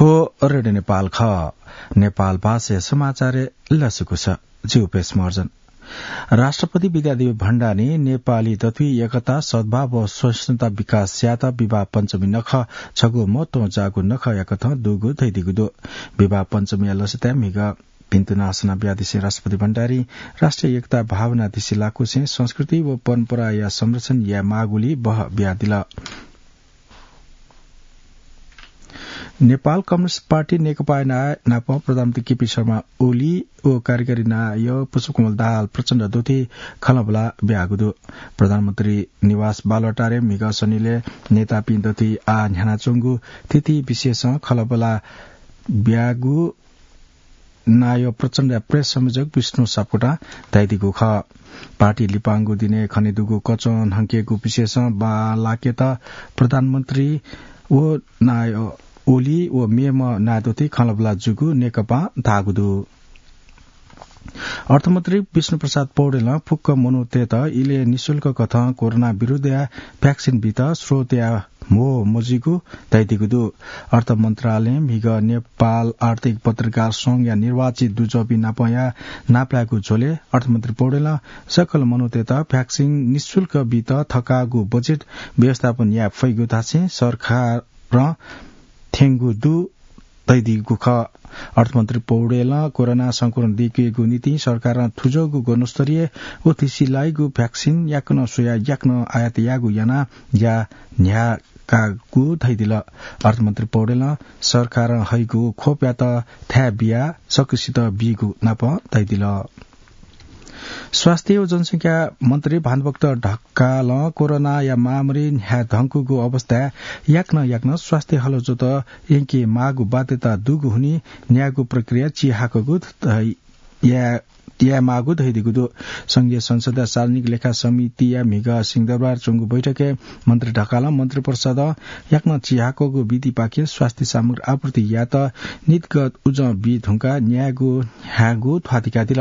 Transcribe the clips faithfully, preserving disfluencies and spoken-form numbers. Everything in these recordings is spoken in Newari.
थ्व रेडियो नेपाल खः। नेपाल भाषाया समाचारय् लसकुस। जि उपेश महर्जन। राष्ट्रपति विद्यादेवी भण्डारीं नेपाली दथुइ एकता, सद्भाव व सहिष्णुता विकास यायेत विवाह पञ्चमी नखः छगू महत्वं जाःगु नखःया कथं दुगु धयादीगु दु। विवाह पञ्चमीया लसताय् म्हिगः भिन्तुना सना बियादिसें राष्ट्रपति भण्डारीं राष्ट्रिय एकता भावना दिसे लाकुसें संस्कृति व परम्पराया संरक्षण याये माःगुली बह बियादिल। नेपाल कम्युनिस्ट पार्टी नेकपा ना-, नाप प्रधानमन्त्री केपी शर्मा ओली व कार्यकारी नायः पुष्पकमल दाहाल प्रचण्ड दथुइ खँल्हाबल्हा बियागु दु। प्रधानमन्त्री निवास बालुवाटारय् म्हिगः सनिलय् नेतापिं दथुइ आः न्ह्यानाच्वंगु थीथी विषयसं खँल्हाबल्हा बियागु नायः प्रचण्डया प्रेस संयोजक विष्णु सापकोटां धयादीगु खः। पार्टी लिपांगु दिनय् खनेदुगु कचं न्हंकेगु विषयसं बांलाकेत प्रधानमन्त्री व नायः ओली व मेम्ह नायः दथुइ खँल्हाबल्हा जूगु नेकपां धाःगु दु। अर्थमन्त्री विष्णुप्रसाद पौडेलं फुक्क मनूतय्त इलय् निशुल्क कथं कोरोना विरुद्धया भ्याक्सिन बीत स्रोतया म्हो मजुइगु धयादीगु दु। अर्थ मन्त्रालयं म्हिगः नेपाल आर्थिक पत्रकार संघया निर्वाचित दुजःपिं नापया नापलायेगु झ्वलय् अर्थमन्त्री पौडेलं सकल मनूतय्त भ्याक्सिन निशुल्क बीत थकाःगु बजेट व्यवस्थापन याये फइगु धासें सरकारं थ्यंगु दु धयादीगु खः। अर्थमन्त्री पौडेलं कोरोना संक्रमण दय्केगु निंतिं सरकारं थुजःगु गुणस्तरीय व थिसिलाइगु भ्याक्सिन याकनं स्वयाः याकनं आयात याःगु यानाः या न्ह्याकागु धयादिल। अर्थमन्त्री पौडेलं सरकारं हइगु खोपयात थाय् बियाः सकसित बीगु नाप धयादिल। स्वास्थ्य व जनसंख्या मन्त्री भानुभक्त ढकालं कोरोनाया महामारी न्ह्याये धुंकूगु अवस्थाय् याकनं याकनं स्वास्थ्य हलजोत यंके माःगु बाध्यता दुगु हुनिं न्यायेगु प्रक्रिया चिहाकःगु ध-, या-, याये माःगु धयादीगु दु। संघीय संसदया सार्वजनिक लेखा समितिया म्हिगः सिंहदरबार च्वंगु बैठकय् मन्त्री ढकालं मन्त्रिपरिषदं याकनं चिहाकःगु विधिपाखें स्वास्थ्य सामग्री आपूर्ति यायेत नीतिगत उजं बी धुंकाः न्यायेगु न्ह्यायेगु ध्वाथुइकादिल।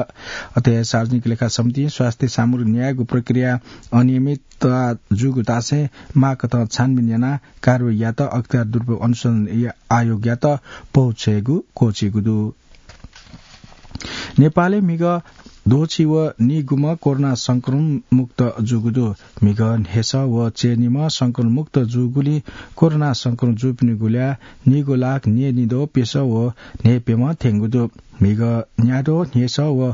अथे सार्वजनिक लेखा समितिं स्वास्थ्य सामग्री न्यायेगु प्रक्रिया अनियमितता जूगु धासें माःकथं छानबिन यानाः कारवाही यायेत अख्तियार दुरुपयोग अनुसन्धान आयोगयात पहुँचयेगु क्वःछिइगु दु। नेपालय् म्हिगः द्वःछि व नीगुम्ह कोरोना संक्रमण मुक्त जूगु दु। म्हिगः न्हय्सः व च्यय्निम्ह संक्रमण मुक्त जूगुलिं कोरोना संक्रमण जूपिनिगु ल्याः नीगु लाख न्यय्निद्वः प्यसः व न्हय्प्यम्ह थ्यंगु दु। म्हिगः न्याद्वः न्हय्सः व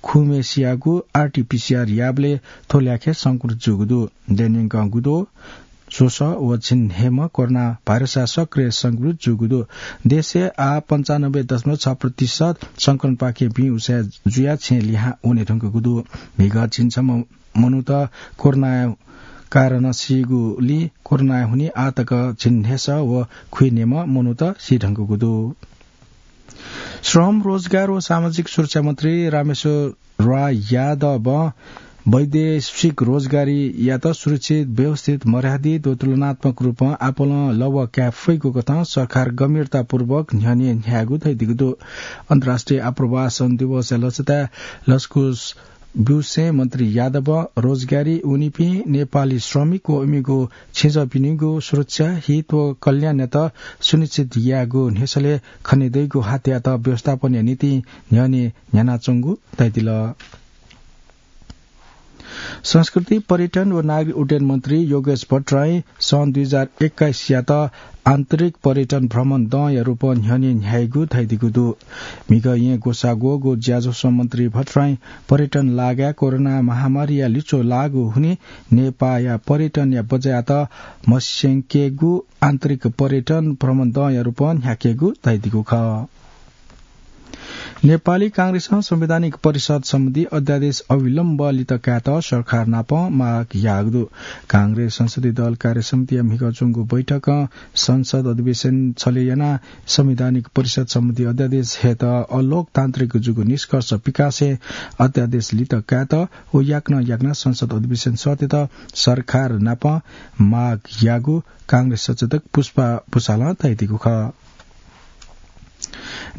खुम्हेसियागु आरटीपीसीआर याःबलय् थ्व ल्याखय् संक्रमित जूगु दु। देय् न्यंकं गुद्वः स्वसः व झिंन्हय्म्ह कोरोना भाइरसया सक्रिय संक्रमित जूगु दु। देशय् आः पन्चानब्बे दशमलव छ प्रतिशत संक्रमणपाखें भिं उसाँय् जुयाः छेँ लिहां वने धुंकूगु दु। म्हिगः झिंछम्ह मनूत कोरोनाया कारणं सीगुलिं कोरोनाया हुनिं आः तक झिंन्हय्सः व खुइन्हय्म्ह मनूत सी धुंकूगु दु। श्रम, रोजगार व सामाजिक सुरक्षा मन्त्री रामेश्वर राय यादवं वैदेशिक रोजगारीयात सुरक्षित, व्यवस्थित, मर्यादित व तुलनात्मक रूपं आपालं लवः काये फइगु कथं सरकार गम्भीरतापूर्वक न्ह्यःने न्ह्यायेगु धयादीगु दु। अन्तर्राष्ट्रिय आप्रवासन दिवसया लसताय् लसकुस ब्यूसें मन्त्री यादवं रोजगारी वनीपिं नेपाली श्रमिक व इमिगु छेँजःपिनिगु सुरक्षा, हित व कल्याणयात सुनिश्चित यायेगु न्ह्यसलय् खनेदइगु हातयात व्यवस्थापनया निंतिं न्ह्यःने न्ह्यानाच्वंगु धयादिल। संस्कृति, पर्यटन व नागरिक उड्डयन मन्त्री योगेश भट्टराईं सन् दुई हजार एक्काइसयात आन्तरिक पर्यटन भ्रमण दँया रूपं न्ह्यःने न्ह्याइगु धयादीगु दु। म्हिगः येँ ग्वसाः ग्वःगु ज्याझ्वलय् मन्त्री भट्टराईं पर्यटन लागाय् कोरोना महामारीया लिच्वः लाःगु हुनिं नेपाःया पर्यटनया बजारयात मस्यंकेगु आन्तरिक पर्यटन भ्रमण दँया रूपं न्ह्याकेगु धयादीगु खः। नेपाली कांग्रेसं संवैधानिक परिषद सम्बन्धी अध्यादेश अविलम्ब लित कायेत सरकार नाप माग याःगु दु। कांग्रेस संसदीय दल कार्य समितिया म्हिगः च्वंगु बैठकं संसद अधिवेशन छले यानाः संवैधानिक परिषद सम्बन्धी अध्यादेश हयेत अलोकतान्त्रिक जूगु निष्कर्ष पिकासें अध्यादेश लित कायेत व याकनं याकनं संसद अधिवेशन सःतेत सरकार नाप माग याःगु कांग्रेस सचेतक पुष्पा भुसालं धयादीगु खः।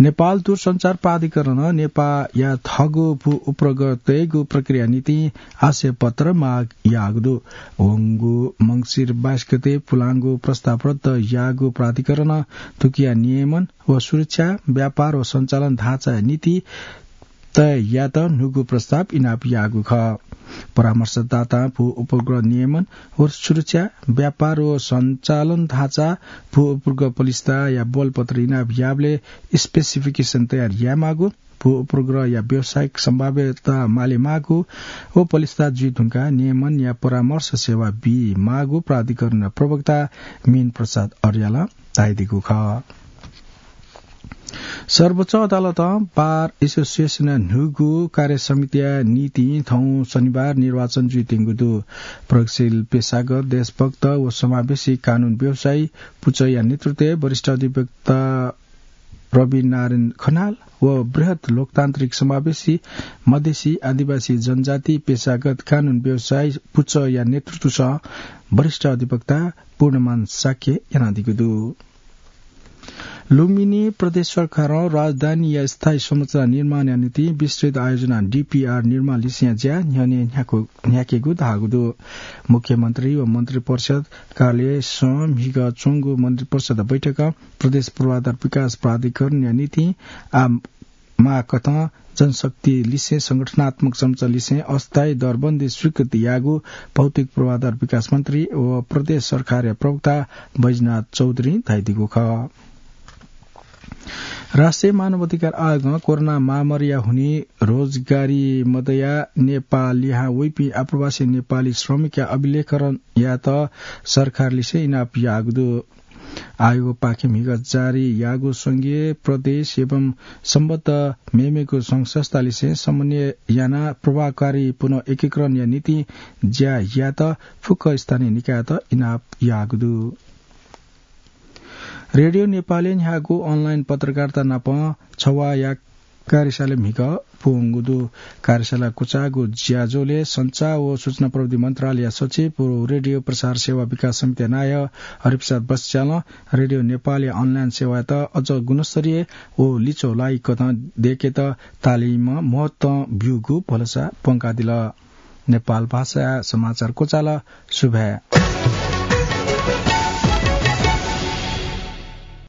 नेपाल दूरसञ्चार प्राधिकरणं नेपाःया थःगु भू उपग्रह तयेगु प्रक्रिया निंतिं आशय पत्र माग याःगु दु। वंगु मंसिर बाइस गते पुलांगु प्रस्ताव रद्द याःगु प्राधिकरणं थुकिया नियमन व सुरक्षा, व्यापार व सञ्चालन ढाँचाया नीति तय यायेत न्हूगु प्रस्ताव इनाप याःगु खः। परामर्शदातां भू उपग्रह नियमन व सुरक्षा, व्यापार व सञ्चालन ढाँचा, भू उपग्रह पलिस्ताया बोलपत्र इनाप याःबलय् specification तयार यायेमाःगु, भू उपग्रहया व्यावसायिक सम्भाव्यता मालेमाःगु व पलिस्ता जुइ धुंकाः नियमनया परामर्श सेवा बीमाःगु प्राधिकरण प्रवक्ता मीन प्रसाद अर्यालं धाइदीगु खः। सर्वोच्च अदालतं बार एसोसिएसनया न्हूगु कार्य समितिया निंतिं थौं शनिबार निर्वाचन जुइत्यंगु दु। प्रगतिशील पेशागत, देशभक्त व समावेशी कानून व्यवसायी पुचःया नेतृत्वय् वरिष्ठ अधिवक्ता रवि नारायण खनाल व बृहत लोकतान्त्रिक समावेशी मधेसी आदिवासी जनजाति पेशागत कानून व्यवसायी पुचःया नेतृत्वसं वरिष्ठ अधिवक्ता पूर्णमान शाक्य यानादीगु दु। लुम्बिनी प्रदेश सरकारं राजधानीया स्थायी संरचना निर्माणया निंतिं विस्तृत आयोजना डिपिआर निर्माण लिसेंया ज्या न्ह्यःने न्ह्याकु-, न्ह्याकेगु धाःगु दु। मुख्यमन्त्री व मन्त्रिपरिषद कार्यालयसं म्हिगः च्वंगु मन्त्रिपरिषद बैठकं प्रदेश पूर्वाधार विकास प्राधिकरणया निंतिं आ माःकथं जनशक्ति लिसें संगठनात्मक संरचना लिसें अस्थायी दरबन्दी स्वीकृति याःगु भौतिक पूर्वाधार विकास मन्त्री व प्रदेश सरकारया प्रवक्ता बैजनाथ चौधरीं धाइदीगु खः। राष्ट्रिय मानव अधिकार आयोगं कोरोना महामारीया हुनिं रोजगारी मदया नेपाः लिहां वइपिं आप्रवासी नेपाली श्रमिकया अभिलेखकरण यायेत सरकारलिसें इनाप याःगु दु। आयोगपाखें म्हिगः जारी याःगु संघीय, प्रदेश एवं सम्बद्ध मेमेगु संघ संस्थालिसें समन्वय यानाः प्रभावकारी पुनः एकीकरणया निंतिं ज्या यायेत फुक्क स्थानीय निकायत इनाप याःगु दु। रेडियो नेपालय् न्ह्याःगु online पत्रकारिता नाप छवाःया कार्यशाला म्हिगः पूवंगु दु। कार्यशाला क्वचाःगु ज्याझ्वलय् सञ्चार व सूचना प्रविधि मन्त्रालयया सचिव व रेडियो प्रसार सेवा विकास समितिया नायः हरिप्रसाद बस्यालं रेडियो नेपालया online सेवायात अझ गुणस्तरीय व लिच्वः लाइकथं दयेकेत तालिमं महत्वं ब्यूगु भलसा प्वंकादिल। नेपाल भाषा समाचार क्वचाल। सुभाय्।